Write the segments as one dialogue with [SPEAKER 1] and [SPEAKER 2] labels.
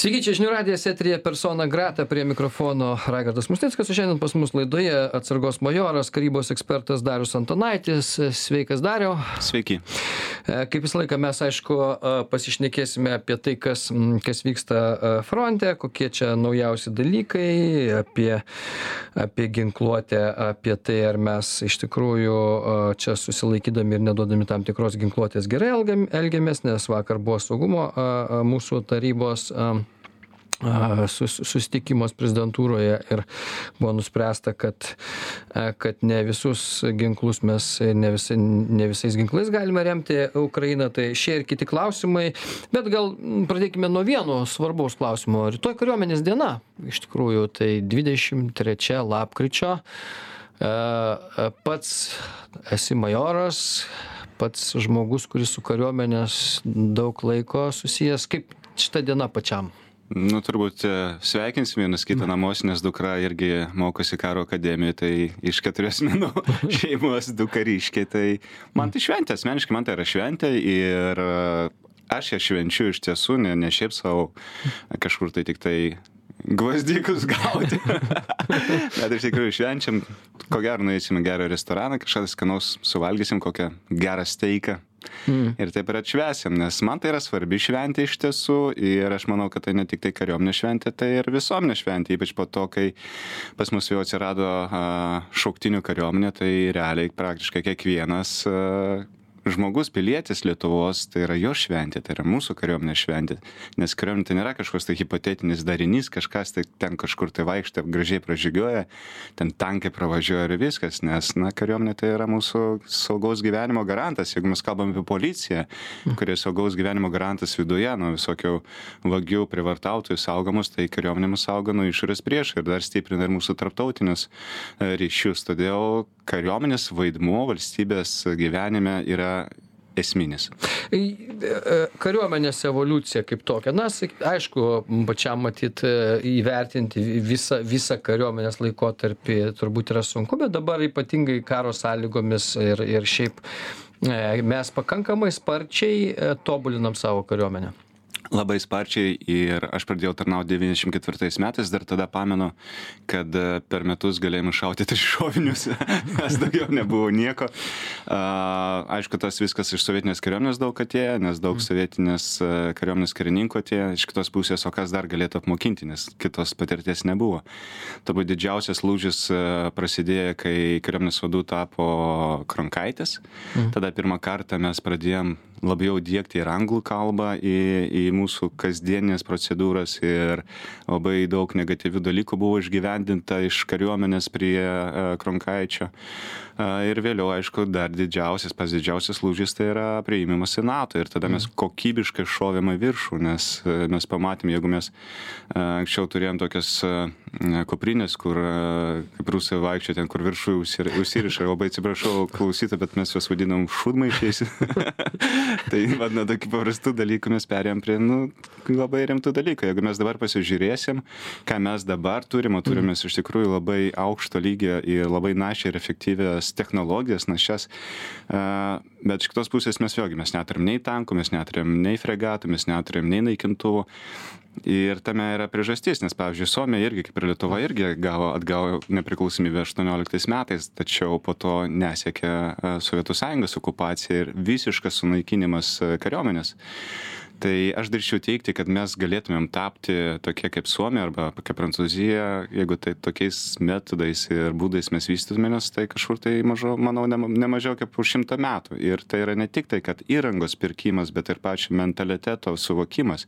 [SPEAKER 1] Sveiki, čia žinių radijas eteryje persona grata, prie mikrofono Raigardas Musnickas, o šiandien pas mus laidoje atsargos majoras, karybos ekspertas Darius Antanaitis. Sveikas, Dariau.
[SPEAKER 2] Sveiki.
[SPEAKER 1] Kaip visą laiką mes, aišku, pasišnekėsime apie tai, kas vyksta fronte, kokie čia naujausi dalykai, apie ginkluotę, apie tai, ar mes iš tikrųjų čia susilaikydami ir neduodami tam tikros ginkluotės gerai elgiamės, nes vakar buvo saugumo mūsų tarybos susitikimas prezidentūroje ir buvo nuspręsta, kad ne visus ginklus mes, ne visais ginklais galime remti Ukrainą, tai šie ir kiti klausimai, bet gal pradėkime nuo vieno svarbaus klausimo. Rytoj kariuomenės diena, iš tikrųjų, tai 23 lapkričio, pats esi majoras, pats žmogus, kuris su kariuomenės daug laiko susijęs, kaip šita diena pačiam?
[SPEAKER 2] Nu, turbūt sveikinsim vienas kitą namuose, nes dukra irgi mokosi karo akademijoje, tai iš 4 asmenų šeimos du kariškiai, tai man tai šventė, asmeniškai man tai yra šventė ir aš ją švenčiu iš tiesų, ne šiaip savo kažkur tai tik tai gvazdikus gauti. Bet iš tikrųjų švenčiam, ko gero nueisime gerą restoraną, kažką skanaus suvalgysim, kokią gerą steiką. Ir taip ir atšvęsim, nes man tai yra svarbi šventė iš tiesų ir aš manau, kad tai ne tik tai kariuomenės šventė, tai ir visuomenės šventė, ypač po to, kai pas mus jau atsirado šauktinių kariuomenė, tai realiai praktiškai kiekvienas žmogus, pilietis Lietuvos, tai yra jo šventė, tai yra mūsų kariuomenės šventė, nes kariuomenė tai nėra kažkoks tai hipotetinis darinys, kažkas tai ten kažkur tai vaikšto, gražiai pražygioja, ten tankai pravažiuoja ir viskas, nes, kariuomenė tai yra mūsų saugaus gyvenimo garantas, jeigu mes kalbame apie policiją, kurie saugaus gyvenimo garantas viduje, nuo visokių vagių, privartautojų saugomus, tai kariuomenė mus saugo nuo išorės priešų ir dar stiprina ir mūsų tarptautinius ryšius, todėl kariuomenės vaidmuo valstybės gyvenime yra esminis.
[SPEAKER 1] Kariuomenės evoliucija kaip tokia. Aišku, pačiam matyt įvertinti visą kariuomenės laikotarpį turbūt yra sunku, bet dabar ypatingai karo sąlygomis ir šiaip mes pakankamai sparčiai tobulinam savo kariuomenę.
[SPEAKER 2] Labai sparčiai ir aš pradėjau tarnauti 94 metais, dar tada pamenu, kad per metus galėjome šauti 3 šovinius, nes daugiau nebuvo nieko. Aišku, tas viskas iš sovietinės kariuomenės daug atėjo, nes daug sovietinės kariuomenės karininkų atėjo, iš kitos pusės, o kas dar galėtų apmokinti, nes kitos patirties nebuvo. Turbūt didžiausias lūžis prasidėjo, kai kariuomenės vadų tapo Kronkaitis. Tada pirmą kartą mes pradėjom labiau diegti ir anglų kalbą į mūsų kasdienės procedūras ir labai daug negatyvių dalykų buvo išgyvendinta iš kariuomenės prie Kronkaičio. Ir vėliau, aišku, dar didžiausias lūžis tai yra priėmimas į NATO ir tada mes kokybiškai šovėme viršų, nes mes pamatėm, jeigu mes anksčiau turėjom tokias kuprinės, kur kaip rusai vaikščia ten, kur viršų užsiriša, labai atsiprašau klausytą, bet mes juos vadinam šūdmaišiais. Tai nuo tokių paprastų dalykų mes perėjom prie labai rimtų dalykų. Jeigu mes dabar pasižiūrėsim, ką mes dabar turime iš tikrųjų labai aukšto lygio ir labai našiai ir efektyvias technologijas, našias, bet iš kitos pusės mes neturim nei tankų, mes neturim nei fregatų, mes neturim nei naikintuvų. Ir tame yra priežastis, nes, pavyzdžiui, Suomija irgi, kaip ir Lietuva, irgi atgavo nepriklausomybę 18 metais, tačiau po to nesiekė Sovietų Sąjungos okupacija ir visiškas sunaikinimas kariuomenės. Tai aš drįsčiau teigti, kad mes galėtumėm tapti tokie kaip Suomija arba kaip Prancūzija, jeigu tai tokiais metodais ir būdais mes vystytumėmės, tai kažkur tai, manau, ne mažiau kaip už 100 metų. Ir tai yra ne tik tai, kad įrangos pirkimas, bet ir pačio mentaliteto suvokimas.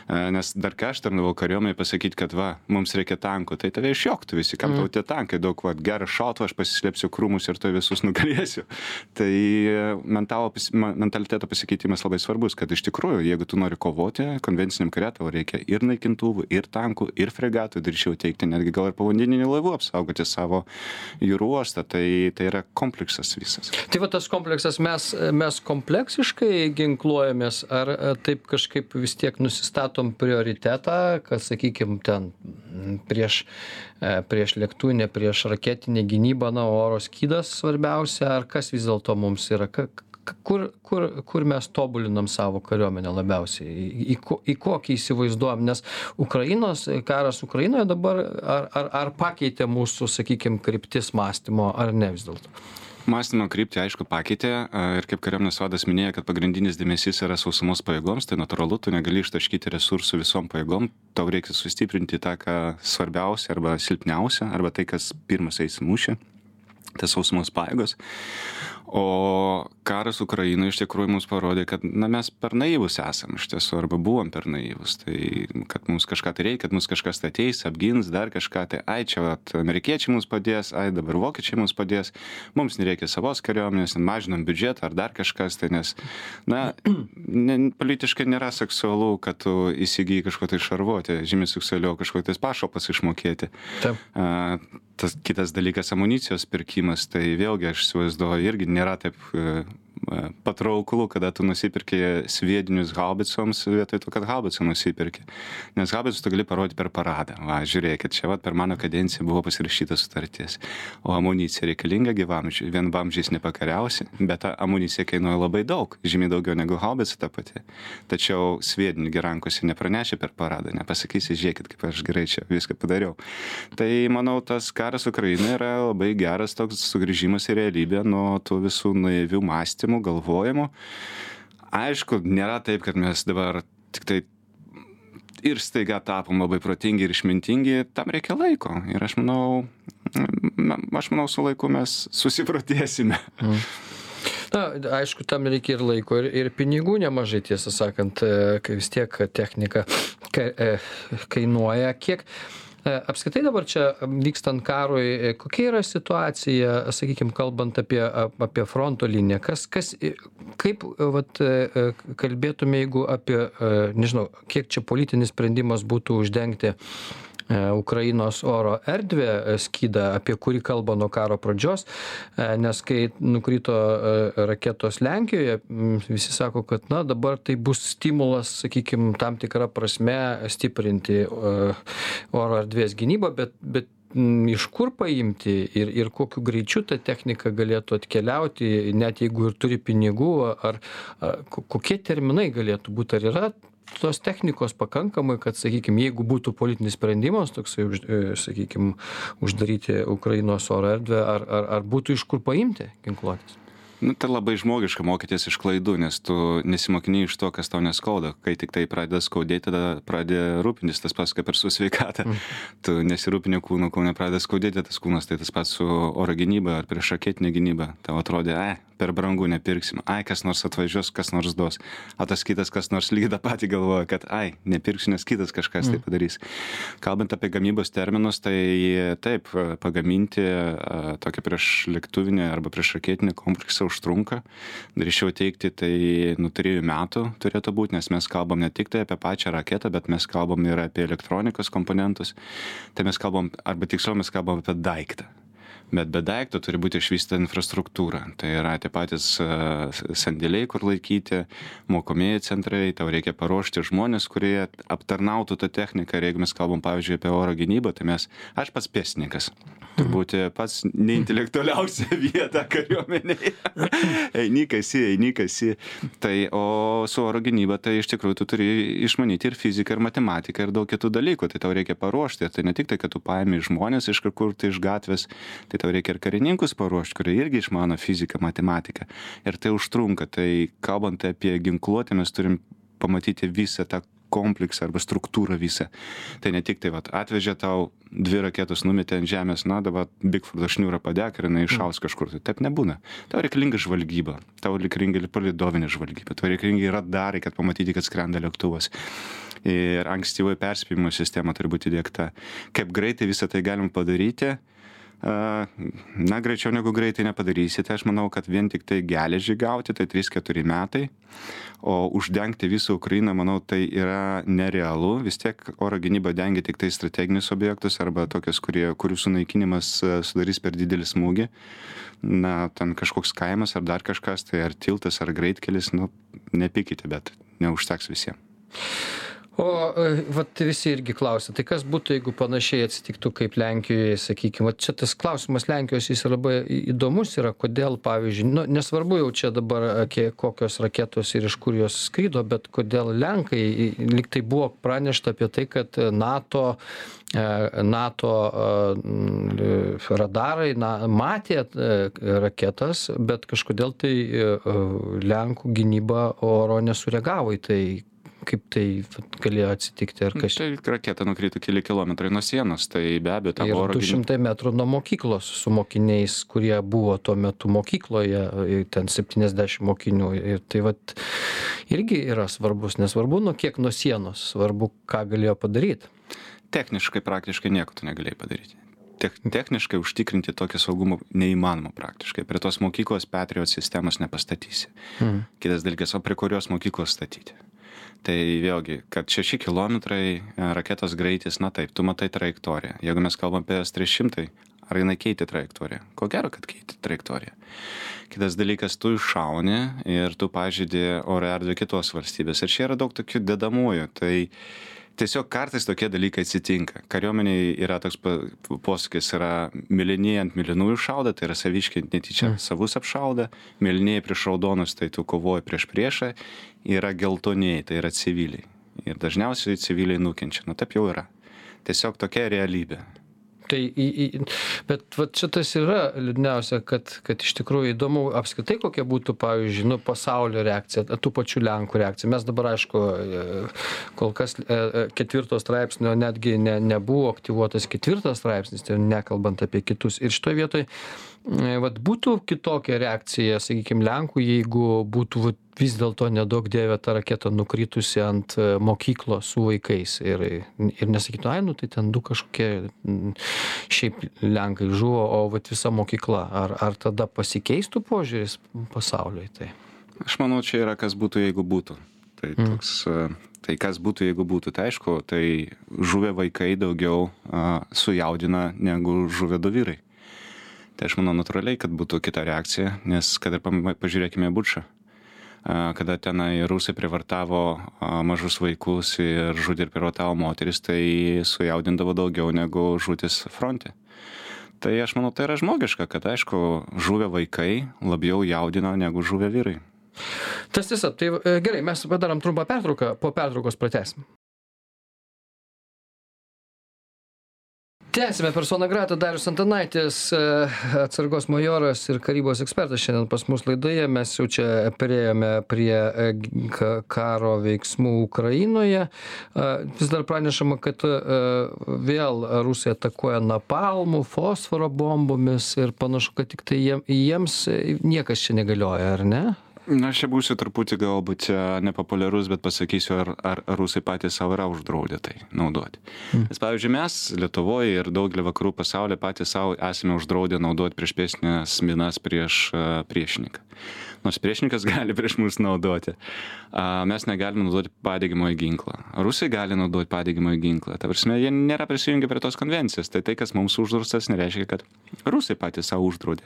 [SPEAKER 2] Nes dar kai aš tarnavau kariuomenėje pasakyti, kad mums reikia tankų, tai tave išjoktų visi, kam tau tie tankai, daug gerą šautuvą, aš pasislėpsiu krūmus ir to visus nugalėsiu. Tai mentaliteto pasikeitimas labai svarbus, kad iš tikrųjų, jeigu tu nori kovoti konvenciniam kare, tau reikia ir naikintuvų, ir tankų, ir fregatų, drįsčiau teikti, netgi gal ir povandeninių laivų apsaugoti savo jūrų uostą, tai yra kompleksas visas.
[SPEAKER 1] Tai tas kompleksas, mes kompleksiškai ginkluojamės, ar taip kažkaip vis tiek nusistatom prioritetą, kad, sakykime, ten prieš lėktuvinę, prieš raketinę gynybą, oro skydas svarbiausia, ar kas vis dėlto mums yra, kur mes tobulinam savo kariuomenę labiausiai, į kokį įsivaizduojam, nes karas Ukrainoje dabar ar pakeitė mūsų, sakykime, kryptis mąstymo, ar ne vis dėlto?
[SPEAKER 2] Mąstymo kryptį, aišku, pakeitė ir kaip kariuomenės vadas minėjo, kad pagrindinis dėmesys yra sausumos pajėgoms, tai natūralu, tu negali ištaškyti resursų visom pajėgom, tau reikia sustiprinti tą, ką svarbiausia arba silpniausia, arba tai, kas pirmas eis mūšį, tai sausumos pajėgos. O karas Ukrainoje iš tikrųjų mums parodė, kad mes per naivus esam iš tiesų, arba buvom per naivus. Tai kad mums kažką tai reikia, kad mums kažkas tai ateis, apgins, dar kažką, tai čia amerikiečiai mums padės, dabar vokiečiai mums padės, mums nereikia savos kariuomenės, mažinam biudžetą ar dar kažkas, tai nes, politiškai nėra seksualu, kad tu įsigyji kažko tai šarvuoti, žymiai seksualiau kažko tai pašalpas išmokėti. Tas kitas dalykas amunicijos pirkimas, tai vėlgi aš įsivaizduoju irgi nėra taip patrauklu, kada tu nusipirki sviedinius haubicoms vietoj to, kad haubicą nusipirki. Nes haubicus tu gali parodyti per paradą. Žiūrėkit, čia per mano kadenciją buvo pasirašyta sutartis. O amunicija reikalinga gyvamžiui. Vienvamžiais nepakariausi, bet ta amunicija kainuoja labai daug, žymiai daugiau negu haubica ta pati. Tačiau sviedinį rankose nepranešė per paradą, nepasakysi, žiūrėkit, kaip aš gerai čia viską padariau. Tai manau, tas karas Ukrainoje yra labai geras toks sugrįžimas į realybę nuo tų visų naivių mąstymų, galvojimų. Aišku, nėra taip, kad mes dabar tik tai ir staiga tapom labai protingi ir išmintingi, tam reikia laiko. Ir aš manau, su laiku mes susiprotėsime.
[SPEAKER 1] Aišku, tam reikia ir laiko, ir pinigų nemažai, tiesą sakant, kai vis tiek technika kainuoja. Kiek apskritai dabar čia vykstant karui, kokia yra situacija, sakykime, kalbant apie fronto liniją? Kaip kalbėtume, jeigu apie, nežinau, kiek čia politinis sprendimas būtų uždengti Ukrainos oro erdvę skydą, apie kurį kalba nuo karo pradžios, nes kai nukrito raketos Lenkijoje, visi sako, kad dabar tai bus stimulas, sakykime, tam tikrą prasme stiprinti oro erdvės gynybą, bet iš kur paimti ir kokiu greičiu ta technika galėtų atkeliauti, net jeigu ir turi pinigų, ar kokie terminai galėtų būti, ar yra tos technikos pakankamai, kad, sakykime, jeigu būtų politinis sprendimas, toksai, sakykime, uždaryti Ukrainos oro erdvę, ar būtų iš kur paimti ginkluotės?
[SPEAKER 2] Tai labai žmogiška mokytis iš klaidų, nes tu nesimokini iš to, kas tau neskauda. Kai tik tai pradeda skaudėti, tada pradeda rūpintis, tas pats kaip ir su sveikata. Tu nesirūpini kūno, kol nepradeda skaudėti tas kūnas, tai tas pats su oro gynyba ar priešraketinė gynyba. Tau atrodė, per brangu nepirksim, kas nors atvažiuos, kas nors duos. O tas kitas, kas nors lygiai tą patį galvoja, kad nepirksiu, nes kitas kažkas tai padarys. Kalbant apie gamybos terminus, tai taip, pagaminti tokį priešlėktuvinį arba priešraketinį kompleksą užtrunka. Drįsčiau teigti, tai 3 metų turėtų būti, nes mes kalbam ne tik tai apie pačią raketą, bet mes kalbam ir apie elektronikos komponentus. Tai mes kalbam, arba tiksliau mes kalbam apie daiktą. Bet be daikto turi būti išvystyta infrastruktūra. Tai yra tie patys sandėliai, kur laikyti, mokomieji centrai, tau reikia paruošti žmonės, kurie aptarnautų tą techniką. Ir jeigu mes kalbam, pavyzdžiui, apie oro gynybą, tai aš pats pėstininkas. Turbūt pats neintelektualiausia vieta kariuomenėje. Eini kasi. Tai, o su oro gynyba, tai iš tikrųjų tu turi išmanyti ir fiziką, ir matematiką, ir daug kitų dalykų. Tai tau reikia paruošti. Tai ne tik tai, kad tu paimi žmonės iš kur tai iš gatvės, tai tau reikia ir karininkus paruošti, kurie irgi išmano fiziką, matematiką. Ir tai užtrunka. Tai kalbant apie ginkluotę, mes turim pamatyti visą tą kompleksą arba struktūrą visą. Tai ne tik tai atvežė tau 2 raketos, numetė ant žemės, dabar Bigfordo šniūrą padek ir jinai iššaus kažkur. Tai taip nebūna. Tau reikalinga žvalgyba, tau reikalinga palidovinė žvalgyba, tau reikalinga radarai, kad pamatyti, kad skrenda lėktuvas. Ir ankstyvoji perspėjimo sistema turi būti įdiegta. Kaip greitai visą tai galim padaryti? Greičiau negu greitai nepadarysite. Aš manau, kad vien tik tai geležį gauti, tai 3-4 metai. O uždengti visą Ukrainą, manau, tai yra nerealu. Vis tiek oro gynyba dengia tik tai strateginius objektus arba tokius, kurių sunaikinimas sudarys per didelį smūgį. Ten kažkoks kaimas ar dar kažkas, tai ar tiltas, ar greitkelis, nepykite, bet neužteks visiems.
[SPEAKER 1] O vat visi irgi klausia, tai kas būtų, jeigu panašiai atsitiktų kaip Lenkijoje, sakykime, čia tas klausimas Lenkijos jis labai įdomus yra, kodėl, pavyzdžiui, nu, nesvarbu jau čia dabar kokios raketos ir iš kur jos skrydo, bet kodėl Lenkai, lyg tai buvo pranešta apie tai, kad NATO radarai matė raketas, bet kažkodėl tai Lenkų gynyba oro nesureagavo į tai. Kaip tai galėjo atsitikti? Ar kas?
[SPEAKER 2] Tai raketa nukrito keli kilometrai nuo sienos, tai be abejo tam oro gynyba.
[SPEAKER 1] 200 metrų nuo mokyklos su mokiniais, kurie buvo tuo metu mokykloje, ten 70 mokinių. Ir tai vat irgi yra svarbus, nesvarbu nuo kiek nuo sienos, svarbu, ką galėjo padaryti.
[SPEAKER 2] Techniškai, praktiškai nieko tu negalėjai padaryti. Techniškai užtikrinti tokį saugumą neįmanoma praktiškai. Prie tos mokyklos Patriot sistemos nepastatysi. Kitas dalykas, o prie kurios mokyklos statyti? Tai vėlgi, kad 6 kilometrai raketos greitis, na taip, tu matai trajektoriją. Jeigu mes kalbam apie S-300, ar jinai keitė trajektoriją? Ko gero, kad keitė trajektoriją. Kitas dalykas, tu iššauni ir tu pažeidi oro erdvę kitos valstybės. Ir čia yra daug tokių dedamųjų. Tai tiesiog kartais tokie dalykai atsitinka. Kariuomeniai yra toks posakis, yra mėlynieji ant mėlynųjų šauda, tai yra saviškiai netyčia savus apšauda, mėlynieji prieš raudonus, tai tu kovoji prieš priešą, yra geltonieji, tai yra civiliai. Ir dažniausiai civiliai nukenčia. Nu taip jau yra. Tiesiog tokia realybė.
[SPEAKER 1] Tai, bet vat šitas yra liūdniausia, kad iš tikrųjų įdomu apskritai kokia būtų, pavyzdžiui, nu, pasaulio reakcija, tų pačių Lenkų reakcija. Mes dabar, aišku, kol kas 4 straipsnio netgi nebuvo aktyvuotas 4 straipsnis, tai nekalbant apie kitus. Ir šitoje vietoje vat būtų kitokia reakcija, sakykime, Lenkų, jeigu būtų vis dėlto nedaug dievė ta raketa nukritusi ant mokyklos su vaikais ir nesakytų, ai, nu tai ten du kažkokie šiaip Lenkai žuvo, o vat visa mokykla. Ar tada pasikeistų požiūris pasaulio į tai?
[SPEAKER 2] Aš manau, čia yra kas būtų, jeigu būtų. Tai toks, tai kas būtų, jeigu būtų. Tai aišku, tai žuvę vaikai daugiau sujaudina negu žuvę du vyrai. Tai aš manau natūraliai, kad būtų kita reakcija, nes kad ir pažiūrėkime Bučą, kada tenai rusai privartavo mažus vaikus ir žudė ir privartavo moteris, tai sujaudindavo daugiau negu žūtis fronte. Tai aš manau, tai yra žmogiška, kad aišku, žuvę vaikai labiau jaudina negu žuvę vyrai.
[SPEAKER 1] Tas tiesa, tai gerai, mes padarom trumpą pertrauką, po pertraukos pratęsim. Tęsime persona grata, Darius Antanaitis, atsargos majoras ir karybos ekspertas šiandien pas mus laidoje. Mes jau čia perėjome prie karo veiksmų Ukrainoje. Vis dar pranešama, kad vėl Rusija atakuoja napalmų, fosforo bombomis ir panašu, kad tik tai jiems niekas čia negalioja, ar ne?
[SPEAKER 2] Na, aš čia būsiu truputį galbūt nepopuliarus, bet pasakysiu, ar rusai patys savo yra uždraudę tai naudoti. Nes, pavyzdžiui, mes Lietuvoje ir daugelį vakarų pasaulyje patys savo esame uždraudę naudoti priešpėstinės minas prieš priešininką. Nors priešininkas gali prieš mus naudoti. Mes negalime naudoti padegimojo ginklą. Rusai gali naudoti padegimojo ginklą. Ta prasme, jie nėra prisijungę prie tos konvencijos. Tai kas mums uždraustas, nereiškia, kad rusai patys savo uždraudė.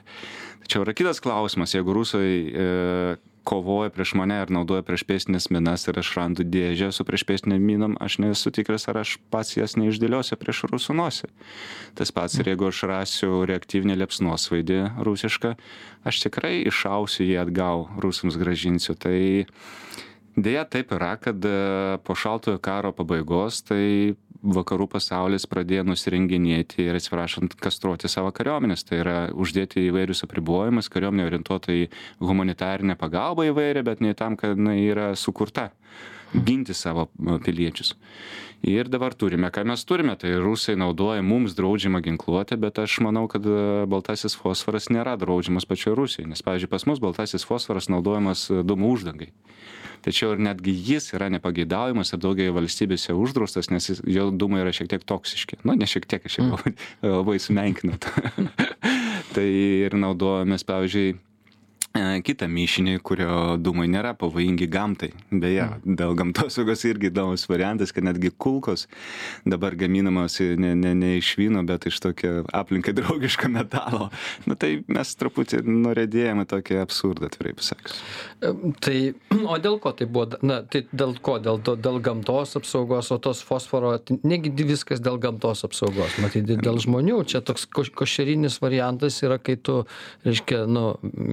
[SPEAKER 2] Tačiau yra kitas klausimas, jeigu rusai kovoja prieš mane ir naudoja priešpėstinės minas ir aš randu dėžę su priešpėstinėm minom, aš nesu tikras, ar aš pats jas neišdėliosiu prieš rusų nosį. Tas pats ir jeigu aš rasiu reaktyvinį liepsnosvaidį rusišką, aš tikrai iššausiu jį atgal, rusams gražinsiu. Tai dėja taip yra, kad po šaltojo karo pabaigos tai vakarų pasaulis pradėjo nusirenginėti ir, atsiprašant, kastruoti savo kariuomenės. Tai yra uždėti įvairius apribojimus, kariuomenė orientuota į humanitarinę pagalbą įvairią, bet ne tam, kad jinai yra sukurta ginti savo piliečius. Ir dabar turime, ką mes turime, tai rusai naudoja mums draudžiamą ginkluotę, bet aš manau, kad baltasis fosforas nėra draudžiamas pačioje Rusijoje, nes, pavyzdžiui, pas mus baltasis fosforas naudojamas dūmų uždangai. Tačiau ir netgi jis yra nepageidaujamas ir daugelį valstybėse uždraustas, nes jo dūmai yra šiek tiek toksiški. Nu, ne šiek tiek, aš jau labai sumenkinau. Tai ir naudojamės, pavyzdžiui, kitą mišinį, kurio dūmai nėra pavojingi gamtai. Beje, dėl gamtosaugos irgi įdomus variantas, kad netgi kulkos dabar gaminamos ne iš vyno, bet iš tokio aplinkai draugiško metalo. Nu, tai mes truputį norėdėjome tokį absurdą, atvirai pasakius.
[SPEAKER 1] Tai, o dėl ko tai buvo? Na, tai dėl ko? Dėl gamtos apsaugos, o tos fosforo, negi viskas dėl gamtos apsaugos. Matyt, dėl žmonių. Čia toks košerinis variantas yra, kai tu, reiškia,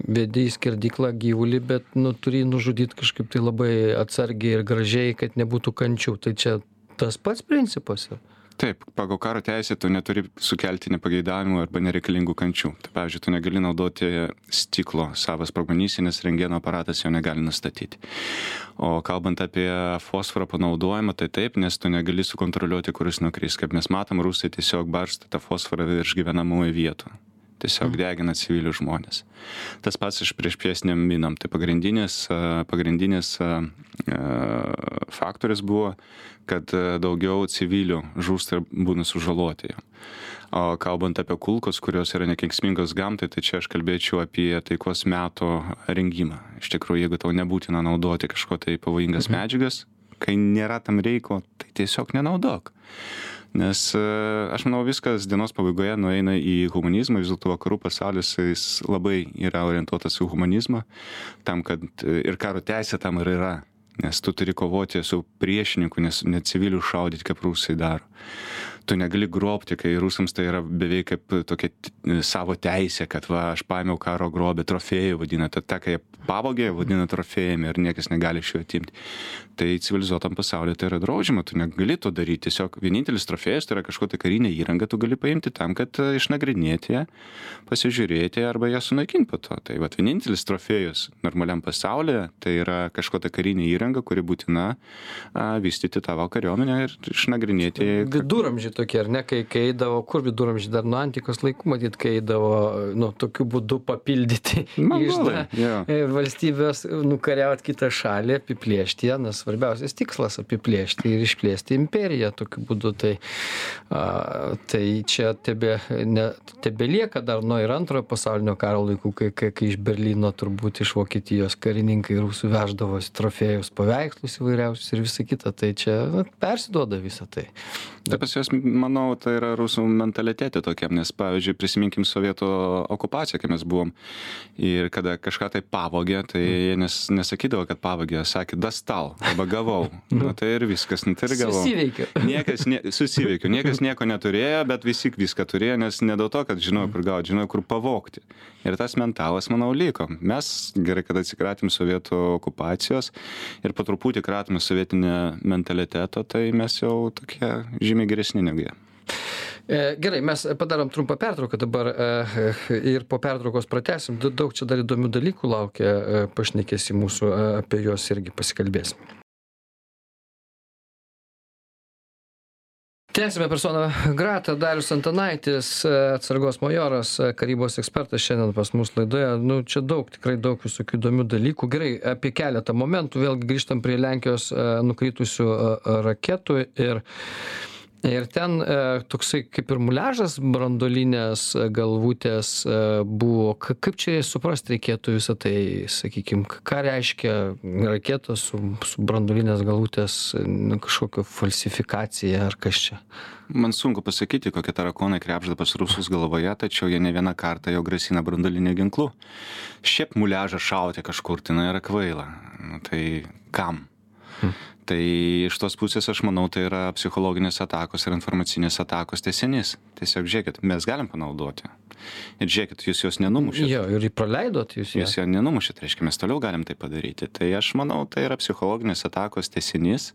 [SPEAKER 1] vedi į skerdyklą gyvulį, bet, turi nužudyti kažkaip tai labai atsargiai ir gražiai, kad nebūtų kančių. Tai čia tas pats principas yra.
[SPEAKER 2] Taip, pagal karo teisę tu neturi sukelti nepageidavimų arba nereikalingų kančių. Tai, pavyzdžiui, tu negali naudoti stiklo savo sprogmenyse, nes rentgeno aparatas jo negali nustatyti. O kalbant apie fosforą panaudojimą, tai taip, nes tu negali sukontroliuoti, kuris nukris. Kaip mes matom, rusai tiesiog barsto tą fosforą virš gyvenamųjų vietų. Tiesiog degina civilių žmonės. Tas pats iš priešpėsniam minam. Tai pagrindinis faktorius buvo, kad daugiau civilių žūsta ir būna sužaloti. O kalbant apie kulkos, kurios yra nekenksmingos gamtai, tai čia aš kalbėčiau apie taikos meto rengimą. Iš tikrųjų, jeigu tau nebūtina naudoti kažko tai pavojingas medžiagas, kai nėra tam reiko, tai tiesiog nenaudok. Nes aš manau, viskas dienos pabaigoje nueina į humanizmą, vis dėlto vakarų pasaulis jis labai yra orientuotas į humanizmą, tam, kad ir karo teisė tam ir yra, nes tu turi kovoti su priešininku, nes ne civilių šaudyti, kaip rusai daro. Tu negali grobti, kai rusams tai yra beveik kaip tokia savo teisė, kad aš paėmiau karo grobį, trofėjų vadina, tai kai jie pavogė, vadina trofėjami ir niekas negali iš jų atimti. Tai civilizuotam pasaulyje tai yra draudžiama, tu negali to daryti, tiesiog vienintelis trofėjas tai yra kažkokia karinė įranga, tu gali paimti tam, kad išnagrinėti ją, pasižiūrėti arba ją sunaikinti po to. Tai vienintelis trofėjus normaliam pasaulyje tai yra kažkokia karinė įranga, kuri būtina vystyti tavo kariuomenę ir išnagrinėti.
[SPEAKER 1] Viduramžiai tokie, ar ne, kai eidavo, kur viduramžiai dar nuo antikos laikų, matyt, kai eidavo, tokiu būdu papildyti valstybės, nukariauti kitą šalį, apiplėšti ją, nes svarbiausias tikslas apiplėšti ir išplėsti imperiją tokiu būdu. Tai čia tebelieka dar nuo ir antrojo pasaulinio karo laikų, kai iš Berlyno turbūt iš Vokietijos karininkai rusų veždavosi trofėjus, paveikslus įvairiausius ir visą kitą. Tai čia persiduoda visą tai.
[SPEAKER 2] Tai pas juos, manau, tai yra rusų mentalitetė tokiam, nes, pavyzdžiui, prisiminkim sovietų okupaciją, kai mes buvom ir kada kažką tai pavogė, tai jie nesakydavo, kad pavogė, sakė, dastal, arba gavau. Tai ir viskas, tai ir gavau. Susiveikiu. Niekas nieko neturėjo, bet visi viską turėjo, nes ne dėl to, kad žinojau, kur gauti, žinojau, kur pavogti. Ir tas mentalas, manau, liko. Mes gerai, kad atsikratėm sovietų okupacijos ir po truputį kratėm sovietinę mentaliteto, tai mes jau tokie žymiai geresni negu jie.
[SPEAKER 1] Gerai, mes padarom trumpą pertrauką dabar ir po pertraukos pratęsim. Daug čia dar įdomių dalykų laukia, pašnekėsi mūsų, apie juos irgi pasikalbėsim. Tęsime personą gratą. Darius Antanaitis, atsargos majoras, karybos ekspertas šiandien pas mus laidoje. Čia tikrai daug visokių įdomių dalykų. Gerai, apie keletą momentų. Vėlgi grįžtam prie Lenkijos nukritusių raketų ir ten toksai kaip ir muliažas branduolinės galvutės buvo. Kaip čia suprasti reikėtų visą tai, sakykime, ką reiškia raketos su branduolinės galvutės kažkokio falsifikacija ar kas čia?
[SPEAKER 2] Man sunku pasakyti, kokie tarakonai krebžda pas rusus galvoje, tačiau jie ne vieną kartą jau grasina branduoliniu ginklu. Šiaip muliažą šauti kažkur tai yra kvaila. Tai kam? Tai iš tos pusės aš manau, tai yra psichologinės atakos ir informacinės atakos tęsinys. Tiesiog žiūrėkit, mes galim panaudoti. Ir žiūrėkit, jūs jos nenumušėt.
[SPEAKER 1] Jo, ir praleidot jūs ją.
[SPEAKER 2] Jūs ją nenumušėt, reiškia, mes toliau galim tai padaryti. Tai aš manau, tai yra psichologinės atakos tęsinys,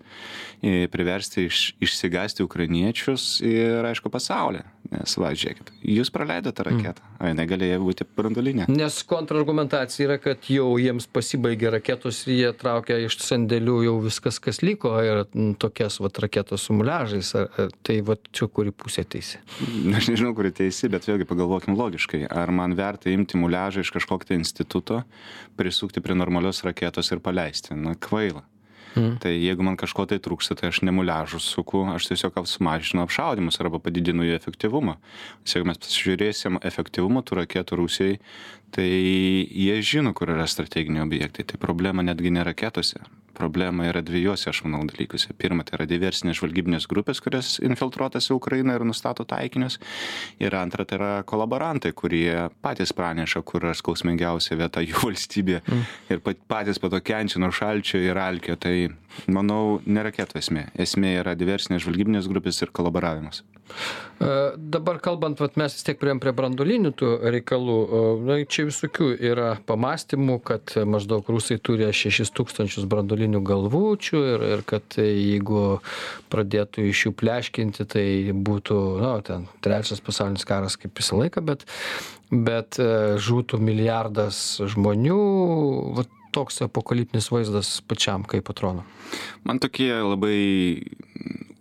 [SPEAKER 2] priversti išsigąsti ukrainiečius ir, aišku, pasaulį. Nes, žiūrėkit, jūs praleidote raketą, o jinai galėjo būti branduolinė.
[SPEAKER 1] Nes kontrargumentacija yra, kad jau jiems pasibaigė raketos ir jie traukia iš sandėlių jau viskas, kas liko, ir tokias raketos su muliažais. Tai čia kuri pusė teisi?
[SPEAKER 2] Aš nežinau, kuri teisi, bet vėlgi pagalvokim logiškai. Ar man verta imti muliažą iš kažkokio instituto, prisukti prie normalios raketos ir paleisti? Kvaila. Tai jeigu man kažko tai trūksta, tai aš nemuliažus suku, aš tiesiog sumažinu apšaudimus arba padidinu jų efektyvumą. Jeigu mes pasižiūrėsim efektyvumą tų raketų Rusijai, tai jie žino, kur yra strateginiai objektai. Tai problema netgi ne raketose. Problema yra dviejose, aš manau, dalykuose. Pirma, tai yra diversinės žvalgybinės grupės, kurias infiltruotas į Ukrainą ir nustato taikinius. Ir antra, tai yra kolaborantai, kurie patys praneša, kur yra skausmingiausia vieta jų valstybė. Ir patys po to kenčia nuo šalčio ir alkio. Tai, manau, ne raketų esmė. Esmė yra diversinės žvalgybinės grupės ir kolaboravimas.
[SPEAKER 1] Dabar kalbant, mes vis tiek priėjom prie branduolinių tų reikalų. Na, čia visokių yra pamastymų, kad maždaug rusai turi 6000 branduolinių galvučių ir kad jeigu pradėtų iš jų pleškinti, tai būtų, ten trečias pasaulinis karas kaip visą laiką, bet žūtų milijardas žmonių. Vat toks apokaliptinis vaizdas pačiam, kaip atrodo?
[SPEAKER 2] Man tokie labai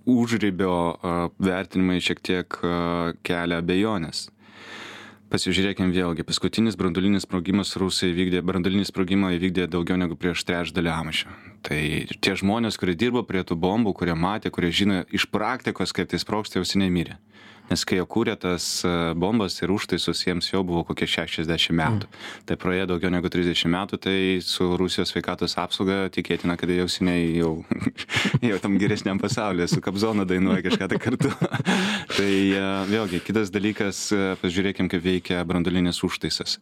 [SPEAKER 2] užribio vertinimai šiek tiek kelia abejonės. Pasižiūrėkim vėlgi, paskutinis branduolinis sprogimas Rusai branduolinį sprogimą įvykdė daugiau negu prieš trečdalį amžių. Tai tie žmonės, kurie dirbo prie tų bombų, kurie matė, kurie žino iš praktikos, kaip tai sprogsta, jau seniai mirė. Nes kai jie kūrė tas bombas ir užtaisus, jiems jau buvo kokie 60 metų. Tai praėjo daugiau negu 30 metų, tai su Rusijos sveikatos apsauga tikėtina, kad jau seniai jau tam geresniam pasaulyje, su Kabzonu dainuoja kažką tai kartu. Tai vėlgi, kitas dalykas, pažiūrėkim, kaip veikia branduolinis užtaisas.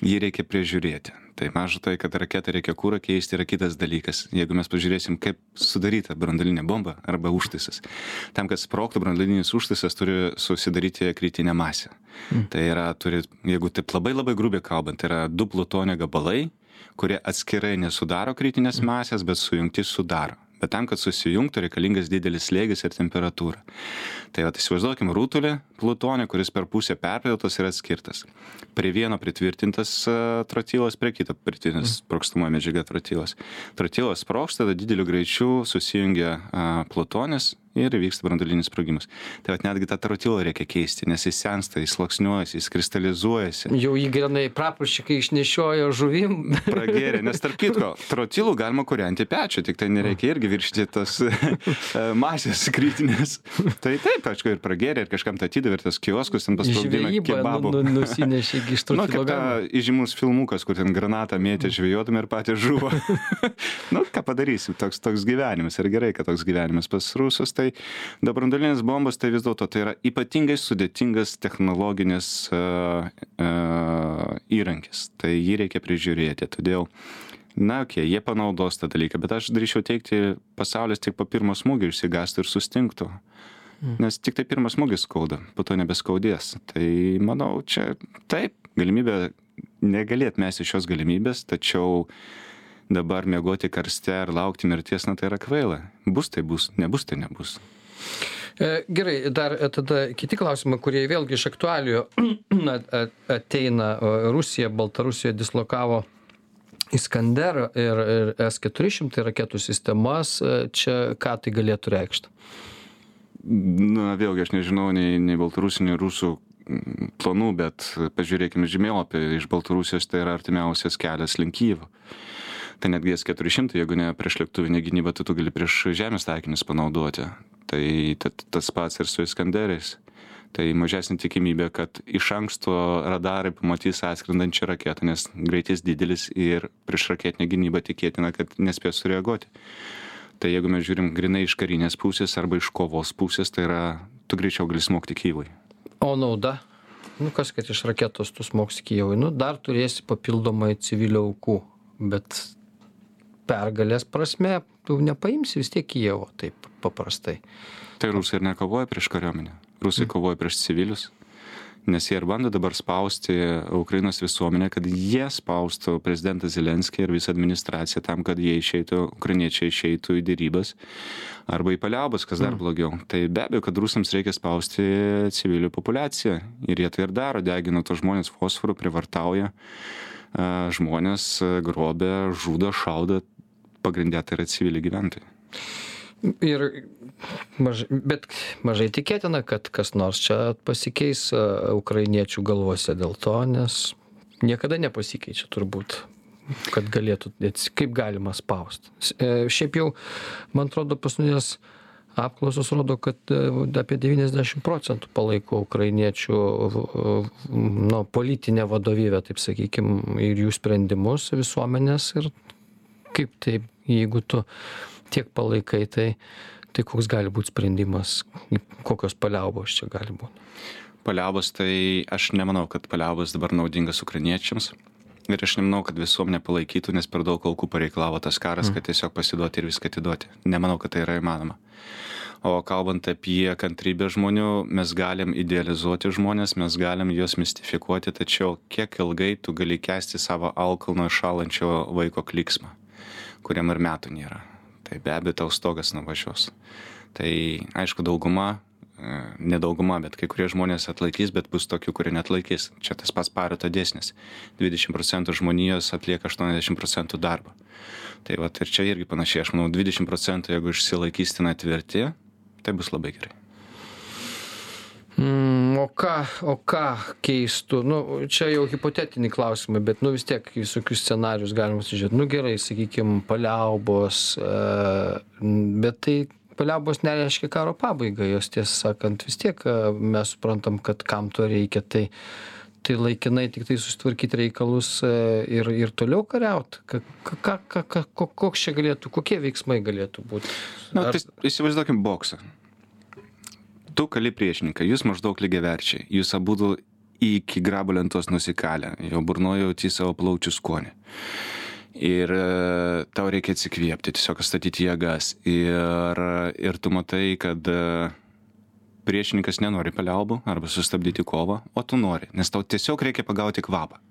[SPEAKER 2] Jį reikia prižiūrėti. Tai maža tai, kad raketą reikia kūrą keisti, yra kitas dalykas. Jeigu mes pažiūrėsim, kaip sudaryta branduolinė bomba arba užtaisas. Tam, kad sprogtų branduolinis užtaisas, turi susidaryti kritinę masę. Tai yra, jeigu taip labai grubiai kalbant, tai yra 2 plutonio gabalai, kurie atskirai nesudaro kritinės masės, bet sujungti sudaro. Bet tam, kad susijungtų, reikalingas didelis slėgis ir temperatūra. Tai įsivaizduokim rutulį plutonio, kuris per pusę perpjautas ir atskirtas. Prie vieno pritvirtintas trotilas, prie kito pritvirtintas sprogstamoji medžiaga trotilas. Trotilas sprogsta, tada dideliu greičiu susijungia plutonis ir įvyksta branduolinis sprogimas. Tai netgi tą trotilą reikia keisti, nes jis sensta, jis sluoksniuojasi, jis kristalizuojasi.
[SPEAKER 1] Jau jį grinai praporščikai išnešiojo žuvim.
[SPEAKER 2] Pragėrė, nes tarp kitko, trotilų galima kūrenti pečių, tik tai nereikia irgi viršyti tos masės kritinės. Tai taip, aišku, ir pragėrė, ir kažkam tą atidavirtas kioskus, ten pasprogdina kebabų.
[SPEAKER 1] Nusinešė iš trotilo
[SPEAKER 2] kaip ta įžymus filmukas, kur ten granatą mėtė žvejodami ir patys žuvo. Ką padarysim, toks gyvenimas. Ir gerai, kad toks gyvenimas pas rusus. Tai branduolinės bombos, tai vis dėlto tai yra ypatingai sudėtingas technologinis įrankis. Tai jį reikia prižiūrėti. Todėl, jie panaudos tą dalyką, bet aš drįsčiau teikti, pasaulis tik po pirmo smūgio išsigąstų ir sustingtų. Nes tik tai pirmas smūgis skauda, po to nebeskaudės. Tai manau, čia taip, galimybė, negalėt mesti šios galimybės, tačiau dabar miegoti karste ir laukti mirties, tai yra kvaila. Bus tai bus, nebus tai nebus.
[SPEAKER 1] Gerai, dar tada kiti klausimai, kurie vėlgi iš aktualijų ateina. Rusija, Baltarusija dislokavo Iskander ir S-400 raketų sistemas. Čia ką tai galėtų reikšti?
[SPEAKER 2] Vėlgi, aš nežinau nei baltarusių, nei rusų planų, bet pažiūrėkime žemėlapį, iš Baltarusijos tai yra artimiausias kelias link Kyjivo. Tai netgi S-400, jeigu ne prieš lėktuvinę gynybą, tai tu gali prieš žemės taikinius panaudoti. Tai tas pats ir su Iskanderiais. Tai mažesnė tikimybė, kad iš anksto radarai pamatys atskrendančią raketą, nes greitis didelis ir prieš raketinę gynybą tikėtina, kad nespės sureaguoti. Tai jeigu mes žiūrim grinai iš karinės pusės arba iš kovos pusės, tai yra, tu greičiau gali smogti Kyjivui.
[SPEAKER 1] O nauda? Kas, kad iš raketos tu smogsi Kyjivui? Dar turėsi papildomai civilių aukų, bet pergalės prasme tu nepaimsi vis tiek Kyjivo taip paprastai.
[SPEAKER 2] Tai rusai ir nekovoja prieš kariuomenę. Rusai kovoja prieš civilius. Nes jie ir bando dabar spausti Ukrainos visuomenę, kad jie spaustų prezidentą Zelenskį ir visą administraciją tam, kad jie ukrainiečiai išeitų į dėrybas arba į paliaubas, kas dar blogiau. Tai be abejo, kad rusams reikia spausti civilių populiaciją. Ir jie tai ir daro, degina tos žmonės fosforų, privartauja žmonės, grobia, žudo, šaudo, pagrindė tai yra civiliai gyventojai.
[SPEAKER 1] Bet mažai tikėtina, kad kas nors čia pasikeis ukrainiečių galvose dėl to, nes niekada nepasikeičia turbūt kad galėtų, kaip galima spausti. Šiaip jau, man atrodo, paskutinės apklausos rodo, kad apie 90% palaiko ukrainiečių politinę vadovybę, taip sakykime, ir jų sprendimus visuomenės. Ir kaip taip, jeigu tu tiek palaikai, tai koks gali būti sprendimas, kokios paliaubos čia gali būti?
[SPEAKER 2] Paliaubos, tai aš nemanau, kad paliaubos dabar naudingas ukrainiečiams. Ir aš nemanau, kad visuomenė palaikytų, nes per daug aukų pareikalavo tas karas, kad tiesiog pasiduoti ir viską atiduoti. Nemanau, kad tai yra įmanoma. O kalbant apie kantrybę žmonių, mes galim idealizuoti žmonės, mes galim juos mistifikuoti, tačiau kiek ilgai tu gali kęsti savo alkalno šalančio vaiko klyksmą, kuriam ir metų nėra. Tai be abejo tau stogas nuvažiuos. Tai aišku, dauguma, ne dauguma, bet kai kurie žmonės atlaikys, bet bus tokių, kurie neatlaikys. Čia tas pats Pareto dėsnis. 20% žmonijos atlieka 80% darbą. Tai vat ir čia irgi panašiai, aš manau, 20% jeigu išsilaikys ten tvirti, tai bus labai gerai.
[SPEAKER 1] O ką keistų? Čia jau hipotetiniai klausimai, bet vis tiek visokius scenarius galima sužiūrėti. Gerai, sakykime, paliaubos, bet tai paliaubos nereiškia karo pabaigą, jos tiesą sakant vis tiek mes suprantam, kad kam to reikia, tai laikinai tik tai susitvarkyti reikalus ir toliau kariauti. Koks čia galėtų, kokie veiksmai galėtų būti?
[SPEAKER 2] Tai įsivaizduokim boksą. Tu kali priešininką, jūs maždaug lygiaverčiai, jūs abudu iki grabo lentos nusikalę, jo burnoje jauti savo plaučių skonį. Ir tau reikia atsikvėpti, tiesiog statyti jėgas. Ir tu matai, kad priešininkas nenori paliaubų arba sustabdyti kovą, o tu nori, nes tau tiesiog reikia pagauti kvapą.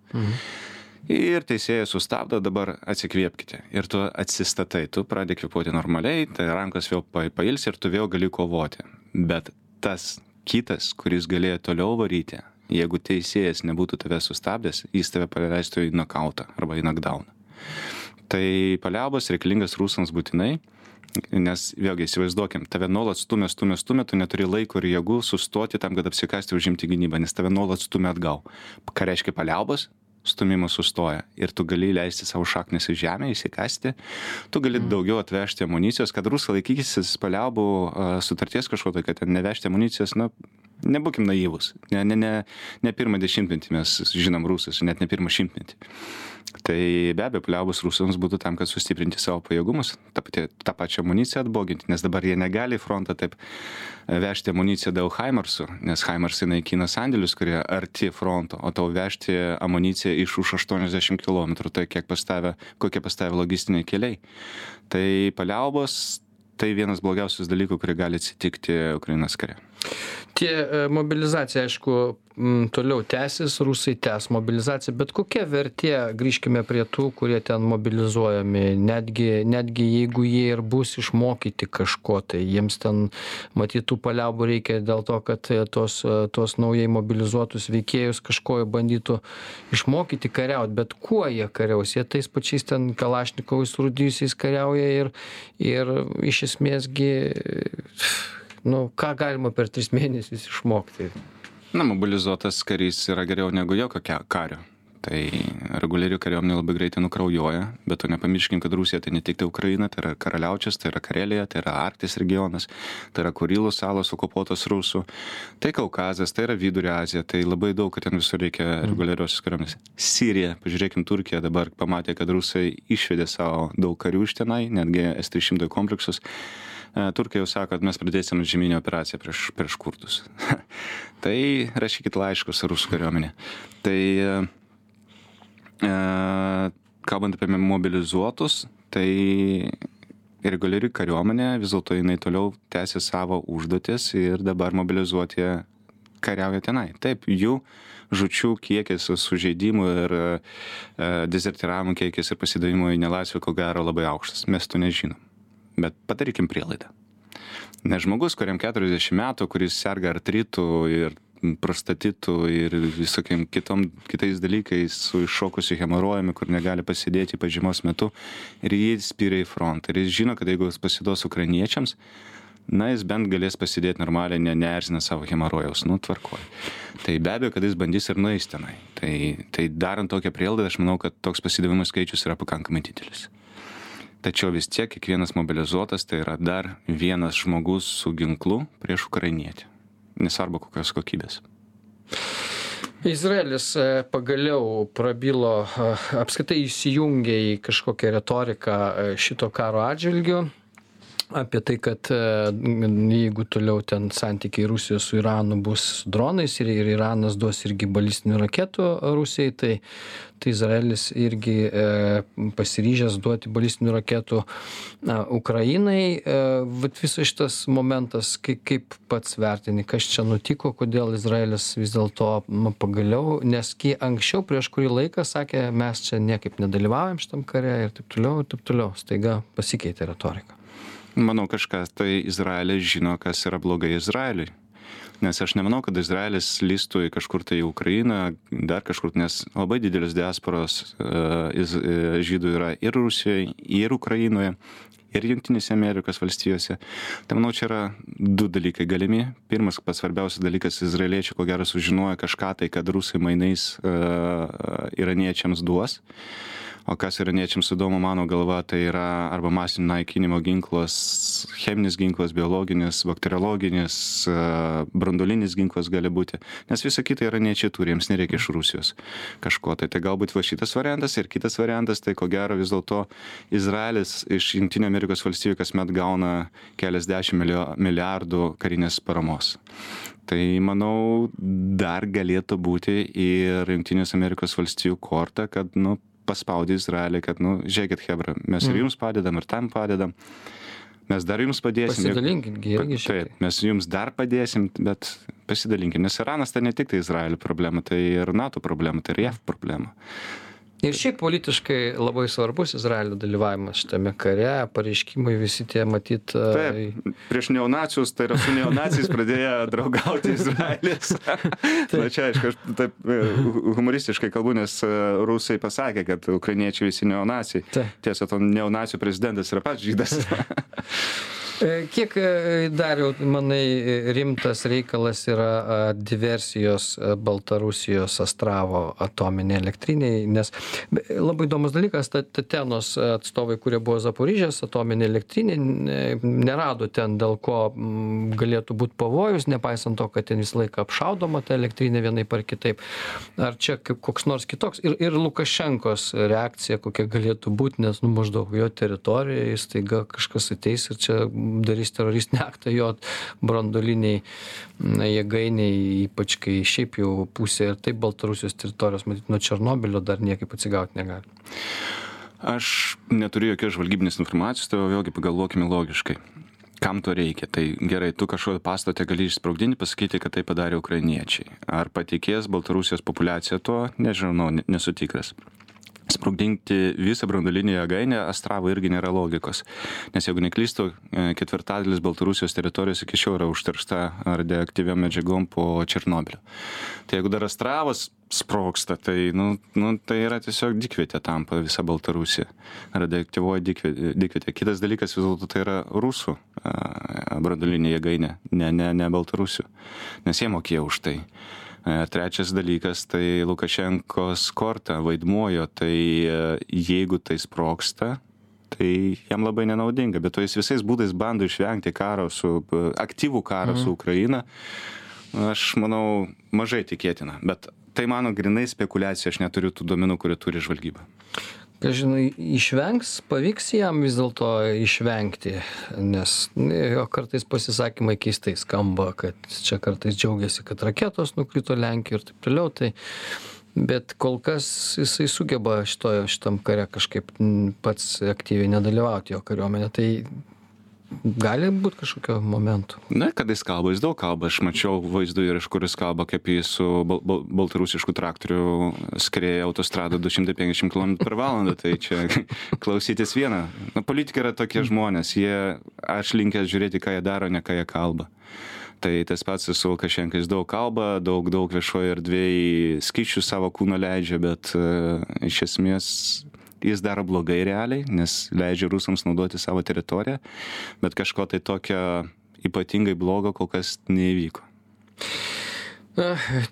[SPEAKER 2] Ir teisėjas sustabdo, dabar atsikvėpkite. Ir tu atsistatai, tu pradedi kvėpuoti normaliai, tai rankos vėl pailsi ir tu vėl gali kovoti. Bet tas kitas, kuris galėjo toliau varyti, jeigu teisėjas nebūtų tave sustabdęs, jis tave paleistų į nokautą arba į knockdowną. Tai paliaubos reikalingas rusams būtinai, nes vėlgi įsivaizduokim, tave nuolat stumia, tu neturi laiko ir jėgų sustoti tam, kad apsikasti užimti gynybą, nes tave nuolat stumia atgal. Ką reiškia paliaubos? Stumimas sustoja ir tu gali leisti savo šaknis į žemę, įsikasti, tu gali daugiau atvežti amunicijos, kad rusai laikysis paliaubų sutarties kažko, kad nevežti amunicijos, nebūkim naivus, ne pirmą dešimtmetį mes žinom rusus, net ne pirmą šimtmetį. Tai be abejo, paliaubos rusams būtų tam, kad sustiprinti savo pajėgumus, tą pačią amuniciją atboginti, nes dabar jie negali į frontą taip vežti amuniciją dėl Haimarsų, nes Haimarsai naikina sandėlius, kurie arti fronto, o tau vežti amuniciją iš už 80 km, tai kokie pastavė logistiniai keliai. Tai paliaubos, tai vienas blogiausias dalykų, kurie gali atsitikti Ukrainos kare.
[SPEAKER 1] Mobilizacija, aišku, toliau tęsis, rusai tęs mobilizaciją, bet kokia vertė, grįžkime prie tų, kurie ten mobilizuojami, netgi jeigu jie ir bus išmokyti kažko, tai jiems ten matytų paliaubų reikia dėl to, kad tos naujai mobilizuotus veikėjus kažko bandytų išmokyti kariauti, bet kuo jie kariaus, jie tais pačiais ten kalašnikovais rūdyjusiais kariauja ir iš esmėsgi ką galima per 3 mėnesius išmokti?
[SPEAKER 2] Mobilizuotas karys yra geriau negu jokio kario. Tai reguliarių kariuomenė labai greitai nukraujuoja, bet to nepamirškim, kad Rusija tai ne tik tai Ukraina, tai yra Karaliaučius, tai yra Karelija, tai yra Arktis regionas, tai yra Kurilų salos okupuotos rusų, tai Kaukazas, tai yra Vidurio Azija, tai labai daug, kad ten visur reikia reguliariosios kariuomenės. Sirija, pažiūrėkim, Turkija dabar pamatė, kad rusai išvedė savo daug karių iš tenai, netgi S-300 kompleksus. Turkija jau sako, kad mes pradėsim žemynę operaciją prieš kurdus. Tai rašykit laiškus rusų kariuomenė. Tai kalbant apie mobilizuotus, tai reguliari kariuomenė vis dėlto jinai toliau tęsia savo užduotis ir dabar mobilizuoti kariauja tenai. Taip, jų žučių kiekis, sužeidimų ir dezertyravimų kiekis ir pasidavimo į nelaisvę ko gero labai aukštas. Mes to nežinom. Bet padarykim prielaidą. Nes žmogus, kuriam 40 metų, kuris serga artritu ir prostatitu ir visokiam kitais dalykais su iššokusiu hemorojumi, kur negali pasidėti pažymos metu, ir jis spyria į frontą. Ir jis žino, kad jeigu jis pasiduos ukrainiečiams, na, jis bent galės pasidėti normaliai, neerzina savo hemorojaus, tvarkoj. Tai be abejo, kad jis bandys ir nueis tenai. Tai darant tokią prielaidą, aš manau, kad toks pasidavimų skaičius yra pakankamai didelis. Tačiau vis tiek kiekvienas mobilizuotas tai yra dar vienas žmogus su ginklu prieš ukrainietį. Nesvarbu kokios kokybės.
[SPEAKER 1] Izraelis pagaliau prabilo, apskritai įsijungė į kažkokią retoriką šito karo atžvilgiu. Apie tai, kad jeigu toliau ten santykiai Rusijos su Iranu bus su dronais ir Iranas duos irgi balistinių raketų Rusijai, tai Izraelis irgi pasiryžęs duoti balistinių raketų Ukrainai. Vat visas šitas momentas, kaip pats vertini, kas čia nutiko, kodėl Izraelis vis dėlto pagaliau, nes anksčiau prieš kurį laiką sakė, mes čia niekaip nedalyvaujam šitam kare ir taip toliau, staiga pasikeitė retorika.
[SPEAKER 2] Manau, kažkas tai Izraelis žino, kas yra blogai Izraeliui. Nes aš nemanau, kad Izraelis lįstų į kažkur tai į Ukrainą, dar kažkur, nes labai didelis diasporos žydų yra ir Rusijoje, ir Ukrainoje, ir Jungtinėse Amerikos valstijose. Tai manau, čia yra du dalykai galimi. Pirmas, pats svarbiausias dalykas, izraeliečiai ko gero sužinojo kažką tai, kad rusai mainais iraniečiams duos. O kas iraniečiams įdomu, mano galva, tai yra arba masinio naikinimo ginklas, cheminis ginklas, biologinis, bakteriologinis, branduolinis ginklas gali būti. Nes visa kita iraniečiai turi, jiems nereikia iš Rusijos kažko. Tai galbūt va šitas variantas ir kitas variantas, tai ko gero vis dėlto Izraelis iš Jungtinių Amerikos valstijų kasmet gauna keliasdešimt milijardų karinės paramos. Tai, manau, dar galėtų būti ir Jungtinės Amerikos valstijų korta, kad, paspaudė Izraelį, kad, žiūrėkit, hebra, mes ir jums padedam, ir tam padedam. Mes dar jums padėsim.
[SPEAKER 1] Pasidalinkit, irgi šiek tiek.
[SPEAKER 2] Taip, mes jums dar padėsim, bet pasidalinkit. Nes Iranas tai ne tik tai Izraelio problema, tai ir NATO problema, tai ir JAV problema.
[SPEAKER 1] Ir šiaip politiškai labai svarbus Izraelio dalyvavimas šitame kare, pareiškimai visi tie matyt.
[SPEAKER 2] Taip, prieš neonacius, tai yra su neonaciais pradėjo draugauti Izraelis. Na čia, aišku, aš taip humoristiškai kalbu, nes rusai pasakė, kad ukrainiečiai visi neonaciai. Tiesa, to neonacijų prezidentas yra pats žydas.
[SPEAKER 1] Kiek Dariau, manai, rimtas reikalas yra diversijos Baltarusijos Astravo atominė elektriniai, nes labai įdomus dalykas, Tatenos atstovai, kurie buvo Zaporižės atominė elektrinė, nerado ten, dėl ko galėtų būti pavojus, nepaisant to, kad ten visą laiką apšaudoma ta elektrinė vienaip ar kitaip. Ar čia koks nors kitoks? Ir Lukašenkos reakcija kokia galėtų būti, nes maždaug jo teritorijoje staiga kažkas ateis ir čia darys teroristinį aktą jo branduoliniai jėgainiai, ypač kai šiaip jau pusė ir taip Baltarusijos teritorijos, matyt, nuo Černobylio dar niekaip atsigauti negali.
[SPEAKER 2] Aš neturiu jokios žvalgybinės informacijos, tai vėlgi pagalvokime logiškai. Kam to reikia? Tai gerai, tu kažkokią pastatą gali išsprogdinti, pasakyti, kad tai padarė ukrainiečiai. Ar patikės Baltarusijos populiacija to? Nežinau, nesu tikras. Sprogdinti visą branduolinę jėgainę Astravo irgi nėra logikos. Nes jeigu neklystu, ketvirtadalis Baltarusijos teritorijos iki šiol yra užteršta radioaktyviom medžiagom po Černobylio. Tai jeigu dar Astravas sprogsta, tai, tai yra tiesiog dykvietė tampa visa Baltarusija. Radioaktyvoji dykvietė. Kitas dalykas vis dėlto tai yra rusų branduolinė jėgainė, ne Baltarusių. Nes jie mokėjo už tai. Trečias dalykas, tai Lukašenkos korta vaidmuojo, tai jeigu tai sprogsta, tai jam labai nenaudinga, bet to jis visais būdais bando išvengti aktyvų karą su Ukraina. Aš manau, mažai tikėtina, bet tai mano grinai spekulacija, aš neturiu tų duomenų, kurie turi žvalgyba.
[SPEAKER 1] Žinai, pavyks jam vis dėlto išvengti, nes jo kartais pasisakymai keistai skamba, kad čia kartais džiaugiasi, kad raketos nukrito Lenkijoje ir taip toliau, bet kol kas jisai sugeba šitam kare kažkaip pats aktyviai nedalyvauti jo kariuomenė, tai gali būti kažkokio momentų.
[SPEAKER 2] Na, kada jis kalba, jis daug kalba. Aš mačiau vaizdų ir iš kur jis kalba, kaip jis su baltarusišku traktoriu skrieja autostradą 250 km/h. Tai čia klausytis vieną. Politikai yra tokie žmonės. Aš linkęs žiūrėti, ką jie daro, ne ką jie kalba. Tai tas pats su Lukašenka, jis daug kalba, daug viešoje erdvėje skysčių savo kūno leidžia, bet iš esmės jis daro blogai realiai, nes leidžia rusams naudoti savo teritoriją, bet kažko tai tokio ypatingai blogo kol kas neįvyko.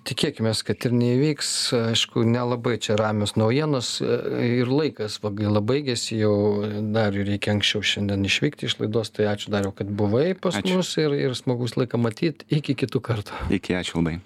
[SPEAKER 1] Tikėkime, kad ir neįvyks, aišku, nelabai čia ramios naujienos ir laikas gaila baigėsi, jau Dariui reikia anksčiau šiandien išvykti iš laidos, tai ačiū Dariau, kad buvai pas mus ir smagus laiką matyti, iki kitų kartų.
[SPEAKER 2] Iki, ačiū labai.